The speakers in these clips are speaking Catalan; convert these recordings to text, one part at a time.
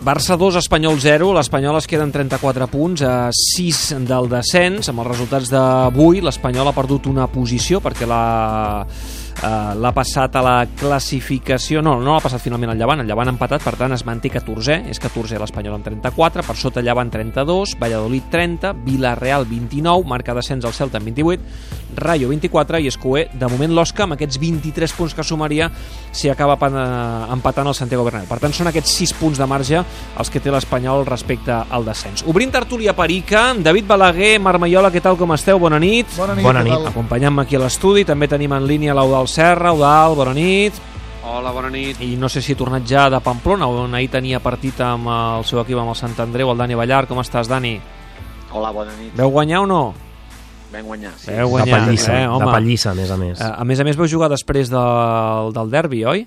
Barça 2, Espanyol 0. L'Espanyol es queda amb 34 punts, a 6 del descens. Amb els resultats d'avui, l'Espanyol ha perdut una posició perquè l'ha passat a la classificació. No l'ha passat finalment al Llevant. El Llevant ha empatat, per tant es manté 14è. És 14è l'Espanyol amb 34, per sota Llevant 32, Valladolid 30, Villarreal 29, marca descens al Celta amb 28, Rayo 24 i Escué, de moment l'Osca, amb aquests 23 punts que sumaria si acaba empatant el Santiago Bernabéu. Per tant, són aquests 6 punts de marge els que té l'Espanyol respecte al descens. Obrint tertúlia perica, David Balaguer, Marc Maiola, què tal, com esteu? Bona nit. Bona nit. Acompanyant-me aquí a l'estudi, també tenim en línia l'Eudald Serra. Eudald, bona nit. Hola, bona nit. I no sé si ha tornat ja de Pamplona, on ahir tenia partit amb el seu equip, amb el Sant Andreu, el Dani Ballar. Com estàs, Dani? Hola, bona nit. Veu guanyar o no? Vam guanyar, sí. Veu guanyar, de pallissa, a més a més. A més, vau jugar després del derbi, oi?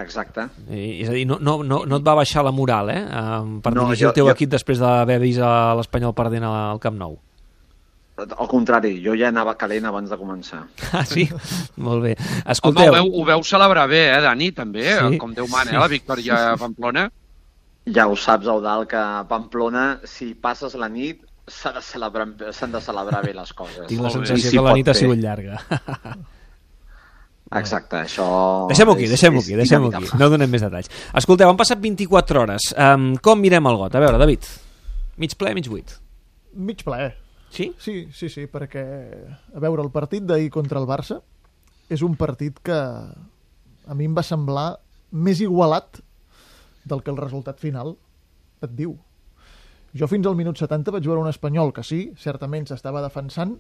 Exacte. És a dir, no et va baixar la moral, per dirigir el teu equip després d'haver vist l'Espanyol perdent al Camp Nou. Al contrari, jo ja anava calent abans de començar. Ah, sí? Molt bé. Escolteu... Home, ho veu celebrar bé, Dani, també, sí, com Déu mana, la victòria a Pamplona. Ja ho saps, Eudald, que a Pamplona, si passes la nit, s'han de celebrar bé les coses. Tinc la sensació que la nit ha sigut llarga. Exacte, això... Deixem-ho aquí, no donem més detalls. Escolteu, han passat 24 hores. Com mirem el got? A veure, David, mig ple, mig buit? Mig ple. Sí? Sí, perquè, a veure, el partit d'ahir contra el Barça és un partit que a mi em va semblar més igualat del que el resultat final et diu. Jo fins al minut 70 vaig veure un Espanyol que sí, certament s'estava defensant,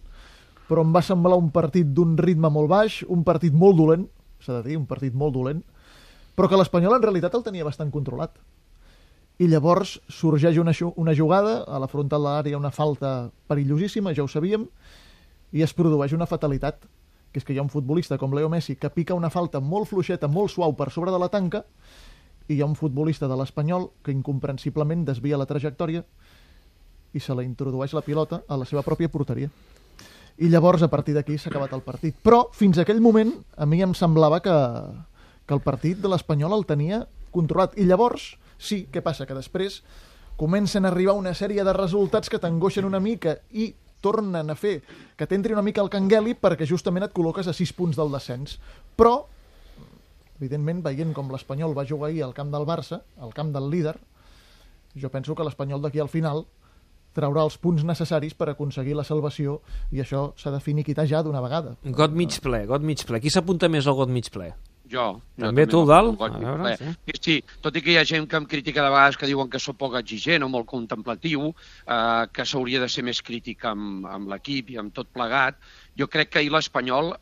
però em va semblar un partit d'un ritme molt baix, un partit molt dolent, s'ha de dir, un partit molt dolent, però que l'Espanyol en realitat el tenia bastant controlat. I llavors sorgeix una jugada, a la frontal de l'àrea una falta perillosíssima, ja ho sabíem, i es produeix una fatalitat, que és que hi ha un futbolista com Leo Messi que pica una falta molt fluixeta, molt suau per sobre de la tanca, i hi ha un futbolista de l'Espanyol que incomprensiblement desvia la trajectòria i se la introdueix la pilota a la seva pròpia porteria. I llavors, a partir d'aquí, s'ha acabat el partit. Però, fins a aquell moment, a mi em semblava que el partit de l'Espanyol el tenia controlat. I llavors, sí, què passa? Que després comencen a arribar una sèrie de resultats que t'angoixen una mica i tornen a fer que t'entri una mica el cangueli perquè justament et col·loques a 6 punts del descens. Però, evidentment, veient com l'Espanyol va jugar ahir al camp del Barça, al camp del líder, jo penso que l'Espanyol d'aquí al final traurà els punts necessaris per aconseguir la salvació i això s'ha de finiquitar ja d'una vegada. Got mig ple. Qui s'apunta més al got mig ple? Jo. També tu, Dalt? Sí, tot i que hi ha gent que em critica de vegades que diuen que sóc poc exigent o molt contemplatiu, que s'hauria de ser més crític amb l'equip i amb tot plegat, jo crec que ahir l'Espanyol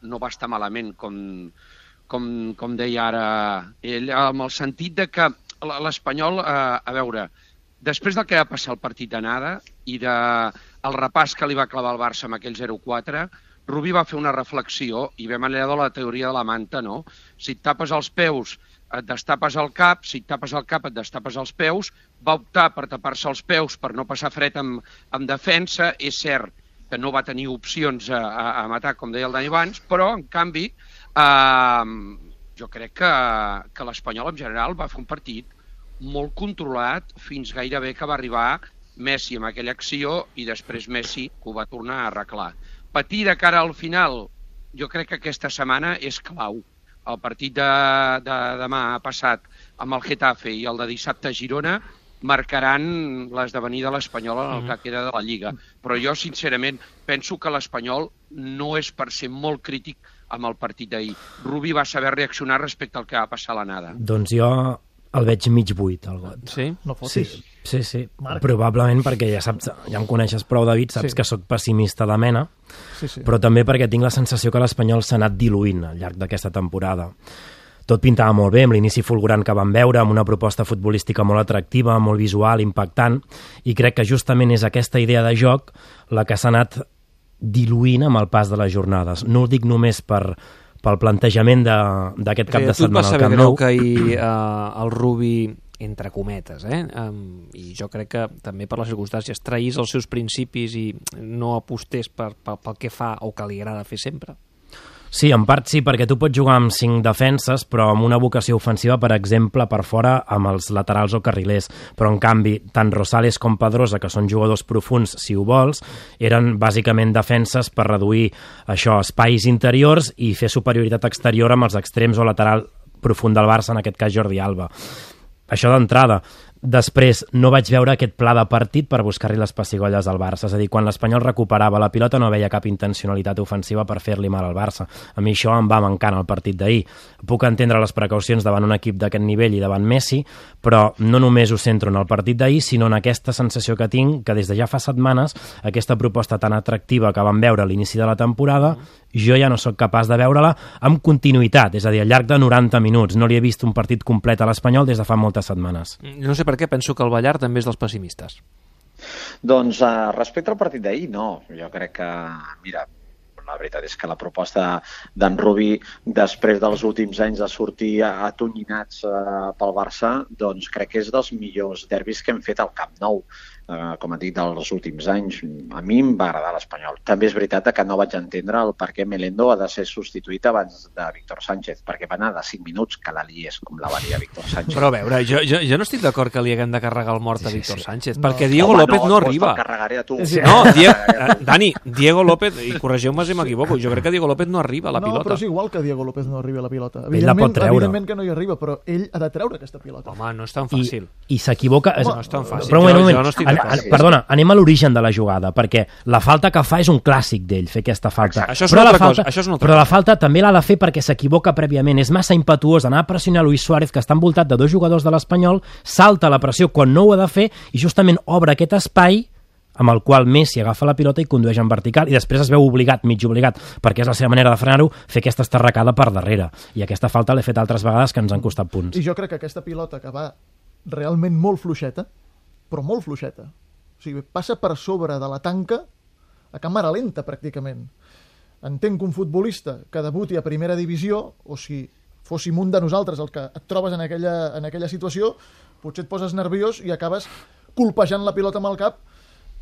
no va estar malament, com deia ara ell, amb el sentit de que l'Espanyol, a veure, després del que va passar el partit d'anada i del repàs que li va clavar el Barça amb aquell 0-4, Rubí va fer una reflexió i ve manera de la teoria de la manta, no? Si et tapes els peus, et destapes el cap, si et tapes el cap, et destapes els peus. Va optar per tapar-se els peus per no passar fred en defensa. És cert que no va tenir opcions a matar, com deia el Dani abans, però, en canvi, jo crec que l'Espanyol en general va fer un partit molt controlat fins gairebé que va arribar Messi amb aquella acció i després Messi ho va tornar a arreglar. Patir de cara al final, jo crec que aquesta setmana és clau. El partit de demà passat amb el Getafe i el de dissabte a Girona marcaran l'esdevenir de l'Espanyol en el que queda de la Lliga. Però jo, sincerament, penso que l'Espanyol no és per ser molt crític amb el partit d'ahir. Rubí va saber reaccionar respecte al que va passar a l'anada. Doncs jo el veig mig buit, el got. Sí? No fotis. Sí. Probablement perquè ja saps, ja em coneixes prou, David, saps que sóc pessimista de mena, però també perquè tinc la sensació que l'Espanyol s'ha anat diluint al llarg d'aquesta temporada. Tot pintava molt bé, amb l'inici fulgurant que vam veure, amb una proposta futbolística molt atractiva, molt visual, impactant, i crec que justament és aquesta idea de joc la que s'ha anat diluint amb el pas de les jornades. No ho dic només pel plantejament d'aquest cap de setmana al Camp Nou. Tu et va saber greu que ahir el Rubí, entre cometes, i jo crec que també per les circumstàncies traís els seus principis i no apostés pel que fa o que li agrada fer sempre? Sí, en part sí, perquè tu pots jugar amb 5 defenses, però amb una vocació ofensiva, per exemple, per fora amb els laterals o carrilers. Però, en canvi, tant Rosales com Pedrosa, que són jugadors profuns, si ho vols, eren bàsicament defenses per reduir això, espais interiors i fer superioritat exterior amb els extrems o lateral profund del Barça, en aquest cas Jordi Alba. Això d'entrada. Després, no vaig veure aquest pla de partit per buscar-li les pessigolles al Barça. És a dir, quan l'Espanyol recuperava la pilota no veia cap intencionalitat ofensiva per fer-li mal al Barça. A mi això em va mancant al partit d'ahir. Puc entendre les precaucions davant un equip d'aquest nivell i davant Messi, però no només ho centro en el partit d'ahir, sinó en aquesta sensació que tinc que des de ja fa setmanes aquesta proposta tan atractiva que vam veure a l'inici de la temporada, jo ja no sóc capaç de veure-la amb continuïtat, és a dir, al llarg de 90 minuts. No li he vist un partit complet a l'Espanyol des de fa moltes setmanes. No sé per què, penso que el Ballar també és dels pessimistes. Doncs respecte al partit d'ahir, no. Jo crec que, mira, la veritat és que la proposta d'en Rubí, després dels últims anys de sortir atonyinats pel Barça, doncs crec que és dels millors derbis que hem fet al Camp Nou. Com et dic, dels últims anys. A mi em va agradar l'Espanyol. També és veritat que no vaig entendre el per què Melendo ha de ser substituït abans de Víctor Sánchez, perquè va anar de 5 minuts que la liés com la valia Víctor Sánchez. Però a veure, jo no estic d'acord que li haguem de carregar el mort a Víctor Sánchez, perquè Diego López no arriba. Te'l carregaré a tu. No, Dani, Diego López, i corregeu-me si m'equivoco, jo crec que Diego López no arriba a la pilota. No, però és igual que Diego López no arriba a la pilota. Ell la pot treure. Evidentment que no hi arriba, però ell ha de treure aquesta pilota. Home, no és tan fàcil. I s'equivoca... No és tan fàcil. Però un moment. Jo no estic d'acord. Perdona, anem a l'origen de la jugada, perquè la falta que fa és un clàssic d'ell, fer aquesta falta. Això és una altra cosa. Però la falta també l'ha de fer perquè s'equivoca prèviament. És massa impetuós anar a pressionar Luis Suárez, que està envoltat de 2 jugadors de l'Espanyol, salta la pressió quan no ho ha de fer i justament obre aquest espai amb el qual Messi agafa la pilota i condueix en vertical, i després es veu obligat, mig obligat, perquè és la seva manera de frenar-ho, fer aquesta estarracada per darrere. I aquesta falta l'he fet altres vegades que ens han costat punts. I jo crec que aquesta pilota que va realment molt fluixeta, però molt fluixeta, o sigui, passa per sobre de la tanca a càmera lenta, pràcticament. Entenc que un futbolista que debuti a primera divisió, o si fóssim un de nosaltres el que et trobes en aquella situació, potser et poses nerviós i acabes colpejant la pilota amb el cap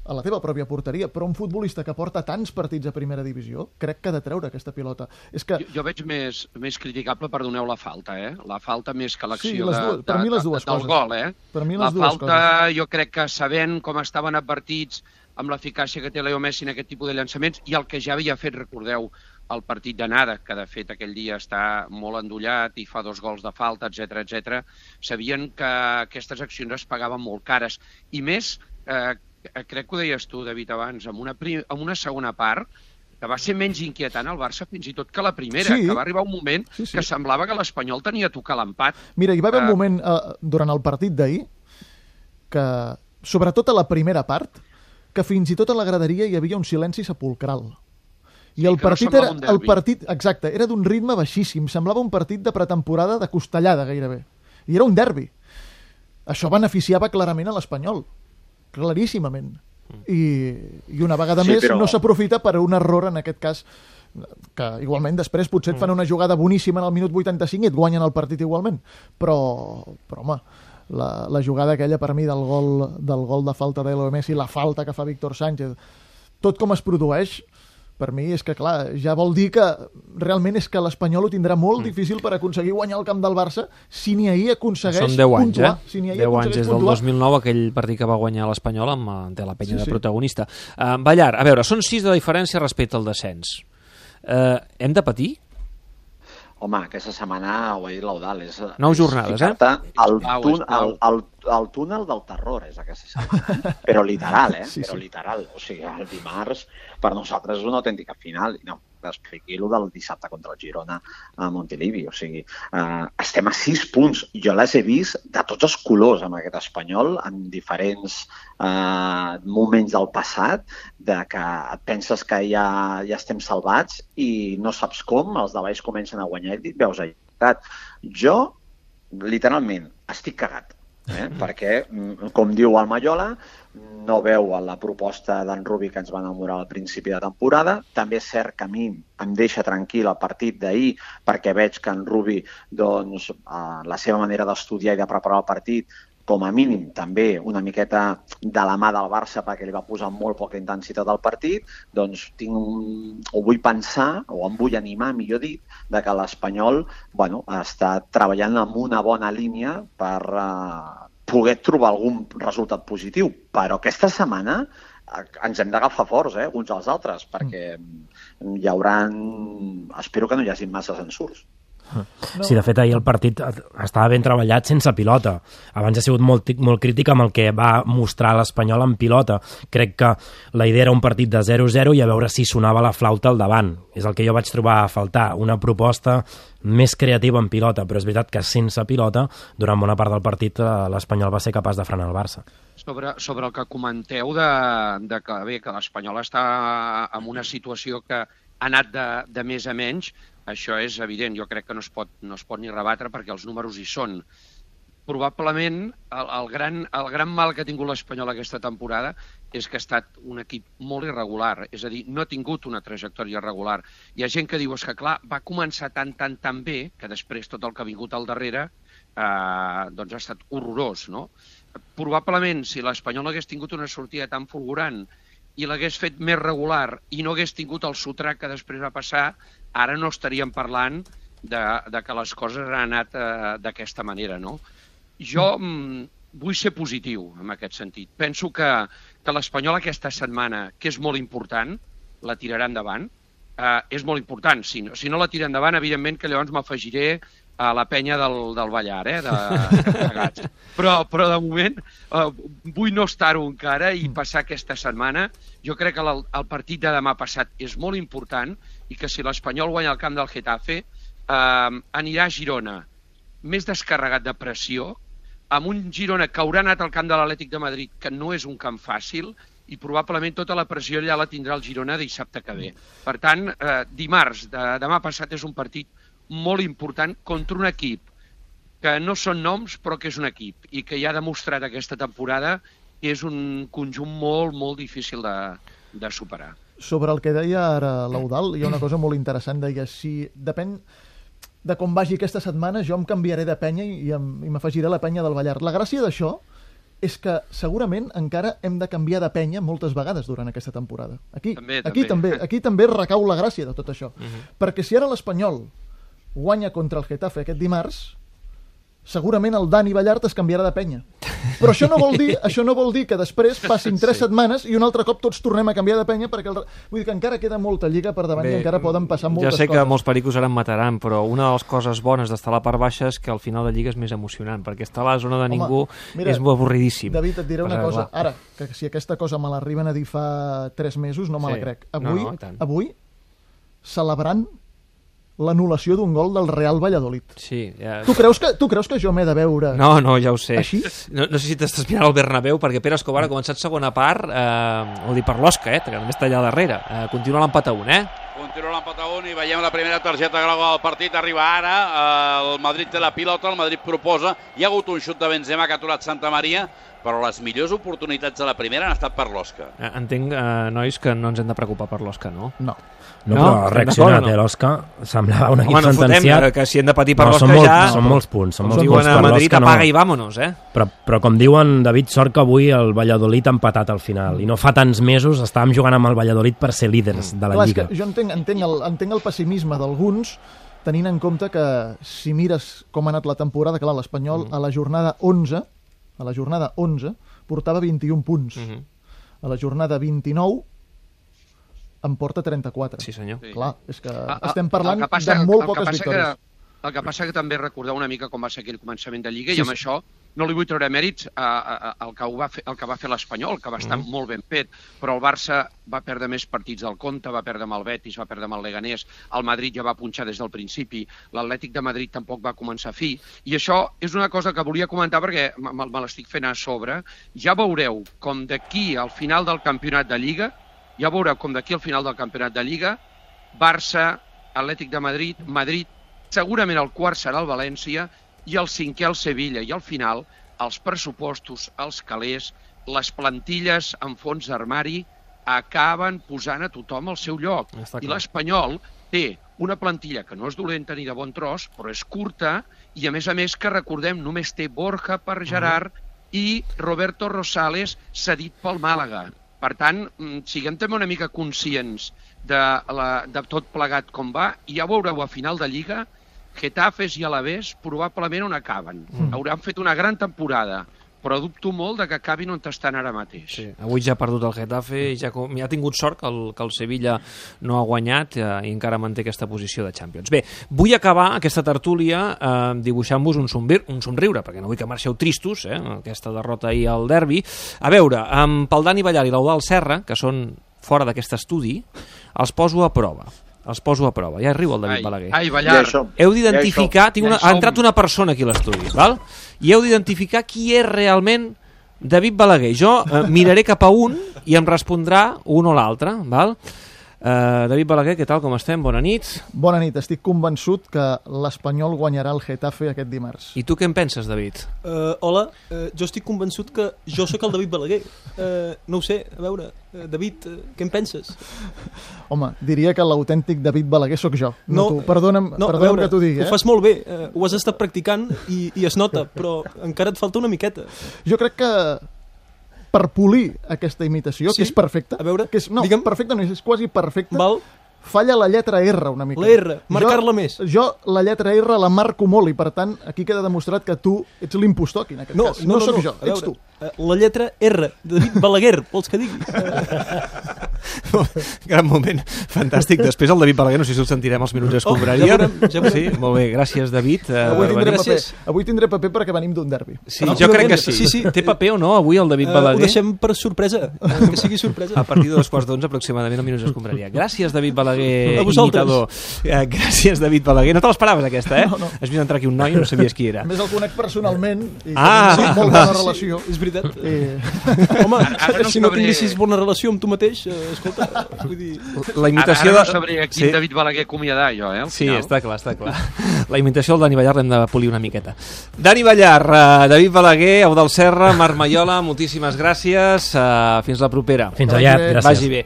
a la teva pròpia porteria, però un futbolista que porta tants partits a primera divisió, crec que ha de treure aquesta pilota. És que... Jo veig més criticable, perdoneu, la falta, La falta més que l'acció per mi les dues del coses. gol, Per mi la les dues falta, coses. jo crec que sabent com estaven advertits amb l'eficàcia que té Leo Messi en aquest tipus de llançaments i el que ja havia fet, recordeu, el partit d'anada, que de fet aquell dia està molt endollat i fa 2 gols de falta, etc, sabien que aquestes accions es pagaven molt cares. I més, crec que ho deies tu, David, abans, amb una segona part que va ser menys inquietant al Barça fins i tot que la primera, que va arribar un moment que semblava que l'Espanyol tenia a tocar l'empat. Mira, hi va haver un moment durant el partit d'ahir que, sobretot a la primera part, que fins i tot a la graderia hi havia un silenci sepulcral. I el partit exacte, era d'un ritme baixíssim, semblava un partit de pretemporada de costellada gairebé. I era un derbi. Això beneficiava clarament a l'Espanyol, claríssimament. I una vegada més no s'aprofita per un error, en aquest cas, que igualment després potser et fan una jugada boníssima en el minut 85 i et guanyen el partit igualment. Però home, la jugada aquella per mi del gol de falta de Leo Messi, la falta que fa Víctor Sánchez, tot com es produeix, per mi és que, clar, ja vol dir que realment és que l'Espanyol ho tindrà molt difícil per aconseguir guanyar el camp del Barça si ni ahir aconsegueix puntuar. Són 10 anys, Si 10 anys des del 2009, aquell partit que va guanyar l'Espanyol amb la Penya de protagonista. Ballar, a veure, són 6 de diferència respecte al descens. Hem de patir? Home, aquesta setmana ho he dit l'Eudal. 9 jornades, El túnel del terror és aquesta setmana. Però literal, Però literal. O sigui, el dimarts per nosaltres és una autèntica final. No, expliqui el del dissabte contra el Girona a Montilivi. O sigui, estem a 6 punts. Jo les he vist de tots els colors amb aquest Espanyol, en diferents moments del passat, de que et penses que ja estem salvats i no saps com, els de baix comencen a guanyar i et veus allà. Jo, literalment, estic cagat. Perquè, com diu el Mallola, no veu la proposta d'en Rubí que ens va enamorar al principi de temporada. També és cert que a mi em deixa tranquil el partit d'ahir perquè veig que en Rubí, doncs, la seva manera d'estudiar i de preparar el partit com a mínim també una miqueta de la mà del Barça perquè li va posar molt poca intensitat al partit, doncs vull pensar, o em vull animar, millor dit, de que l'Espanyol està treballant amb una bona línia per poder trobar algun resultat positiu. Però aquesta setmana ens hem d'agafar forts, uns als altres, perquè hi hauran... Espero que no hi hagi massa ensurts. Sí, de fet, ahir el partit estava ben treballat sense pilota. Abans ha sigut molt crític amb el que va mostrar l'Espanyol en pilota. Crec que la idea era un partit de 0-0 i a veure si sonava la flauta al davant. És el que jo vaig trobar a faltar, una proposta més creativa en pilota, però és veritat que sense pilota, durant bona part del partit, l'Espanyol va ser capaç de frenar el Barça. Sobre el que comenteu de que l'Espanyol està en una situació que ha anat de més a menys, això és evident, jo crec que no es pot ni rebatre perquè els números hi són. Probablement el gran mal que ha tingut l'Espanyol aquesta temporada és que ha estat un equip molt irregular, és a dir, no ha tingut una trajectòria regular. Hi ha gent que diu, és que clar, va començar tan bé que després tot el que ha vingut al darrere doncs ha estat horrorós, no? Probablement, si l'Espanyol hagués tingut una sortida tan fulgurant i l'hagués fet més regular i no hagués tingut el sotrac que després va passar, ara no estaríem parlant de que les coses han anat d'aquesta manera, no? Jo vull ser positiu en aquest sentit. Penso que l'Espanyol aquesta setmana, que és molt important, la tirarà endavant. És molt important. Si no la tira endavant, evidentment que llavors m'afegiré a la penya del Ballar, de Gats. Però de moment vull no estar-ho encara i passar aquesta setmana. Jo crec que el partit de demà passat és molt important i que si l'Espanyol guanya al camp del Getafe anirà a Girona més descarregat de pressió, amb un Girona que haurà anat al camp de l'Atlètic de Madrid, que no és un camp fàcil, i probablement tota la pressió allà la tindrà el Girona dissabte que ve. Per tant, dimarts, demà passat, és un partit molt important contra un equip que no són noms, però que és un equip i que ja ha demostrat aquesta temporada que és un conjunt molt, molt difícil de superar. Sobre el que deia ara l'Eudald, hi ha una cosa molt interessant. Deia, si depèn de com vagi aquesta setmana, jo em canviaré de penya i m'afegiré a la penya del Ballar. La gràcia d'això és que segurament encara hem de canviar de penya moltes vegades durant aquesta temporada. Aquí també recau la gràcia de tot això. Perquè si ara l'Espanyol guanya contra el Getafe aquest dimarts, segurament el Dani Ballart es canviarà de penya. Però això no vol dir que després passin 3 setmanes i un altre cop tots tornem a canviar de penya, perquè vull dir que encara queda molta lliga per davant i encara poden passar moltes coses. Ja sé que molts pericos ara em mataran, però una de les coses bones d'estar a la part baixa és que al final de lliga és més emocionant, perquè estar a la zona de ningú és molt avorridíssim. David, et diré una cosa. Ara, que si aquesta cosa me l'arriben a dir fa 3 mesos, no me la crec. Avui celebrant l'anul·lació d'un gol del Real Valladolid. Sí, ja... Tu creus que jo m'he de veure... No, ja ho sé. Així? No sé si t'estàs mirant al Bernabéu, perquè Pere Escobar ha començat segona part, vol dir per l'Osca, que també està allà darrere. Continua l'empat a 1, Continua l'empat a 1 i veiem la primera targeta groga del partit. Arriba ara, el Madrid té la pilota, el Madrid proposa. Hi ha hagut un xut de Benzema que ha aturat Santa Maria, però les millors oportunitats de la primera han estat per l'Osca. Entenc, nois, que no ens hem de preocupar per l'Osca, no? No, però ha reaccionat, l'Osca. Semblava un equip sentenciat. Que si hem de patir per l'Osca ja... Són molts punts. Diuen a Madrid, apaga i vámonos, Però com diuen, David, sort que avui el Valladolid ha empatat al final. I no fa tants mesos estàvem jugant amb el Valladolid per ser líders de la Lliga. Jo entenc el pessimisme d'alguns, tenint en compte que si mires com ha anat la temporada, clar, l'Espanyol a la jornada 11 portava 21 punts. A la jornada 29 en porta 34. Sí, senyor. Clar, és que estem parlant de molt poques victòries. El que passa que també recordar una mica com va ser aquell començament de Lliga, i amb això no li vull treure mèrits al que va fer l'Espanyol, que va estar molt ben fet, però el Barça va perdre més partits del compte, va perdre amb el Betis, va perdre amb el Leganés, el Madrid ja va punxar des del principi, l'Atlètic de Madrid tampoc va començar a fi, i això és una cosa que volia comentar perquè me l'estic fent a sobre. Ja veureu com d'aquí al final del campionat de Lliga, Barça, Atlètic de Madrid, Madrid, segurament el quart serà el València i el cinquè el Sevilla. I al final els pressupostos, els calés, les plantilles en fons d'armari acaben posant a tothom al seu lloc. I l'Espanyol té una plantilla que no és dolenta ni de bon tros, però és curta i a més que recordem només té Borja per Gerard i Roberto Rosales cedit pel Màlaga. Per tant, siguem també una mica conscients de tot plegat com va, i ja veureu a final de Lliga Getafes i Alavés probablement on acaben. Hauran fet una gran temporada, però dubto molt de que acabin on estan ara mateix. Sí. Avui ja ha perdut el Getafe i ja ha tingut sort que el Sevilla no ha guanyat i encara manté aquesta posició de Champions. Bé, vull acabar aquesta tertúlia dibuixant-vos un somriure, perquè no vull que marxeu tristos, aquesta derrota ahir al derbi. A veure, pel Dani Ballar i l'Eudald Serra, que són fora d'aquest estudi, els poso a prova. Ja riu el David Balaguer. Ai, Ballar. Heu d'identificar... Ha entrat una persona aquí a l'estudi, val? I heu d'identificar qui és realment David Balaguer. Jo miraré cap a un i em respondrà un o l'altre, val? David Balaguer, què tal, com estem? Bona nit. Bona nit, estic convençut que l'Espanyol guanyarà el Getafe aquest dimarts. I tu què en penses, David? Hola, jo estic convençut que jo sóc el David Balaguer. No ho sé, a veure, David, què en penses? Home, diria que l'autèntic David Balaguer sóc jo. No, tu. Perdona'm que t'ho digui. Ho fas molt bé, ho has estat practicant i es nota, però encara et falta una miqueta. Jo crec que per polir aquesta imitació, que és perfecta, a veure, digue'm, perfecta no és quasi perfecta, val. Falla la lletra R una mica. La R, marcar-la més. Jo la lletra R la marco molt i per tant aquí queda demostrat que tu ets l'impostor aquí en aquest cas. No sóc jo, ets tu. La lletra R, David Balaguer, vols que digui? Gran moment, fantàstic. Després el David Balaguer, no sé si el sentirem als minuts d'escombraria. Ja veurem. Sí, molt bé, gràcies David. Avui tindré paper perquè venim d'un derbi. Sí, jo crec que sí. Té paper o no avui el David Balaguer? Ho deixem per sorpresa, que sigui sorpresa. A partir de 2:15 aproximadament, als minuts d'escombraria. Gràcies, David Balaguer, imitador. Gràcies, David Balaguer. No te l'esperaves, aquesta, eh? No. Has vist entrar aquí un noi i no sabies qui era. A més el conec personalment i tenim molt bona relació. És veritat. Home, si no tinguessis bona relació amb tu mateix, escolta, vull dir... La imitació ara no sabria quin David Balaguer acomiadar, jo, Sí, està clar. La imitació del Dani Ballar l'hem de polir una miqueta. Dani Ballar, David Balaguer, Eudald Serra, Marc Maiola, moltíssimes gràcies. Fins la propera. Fins aviat, gràcies. Vagi bé.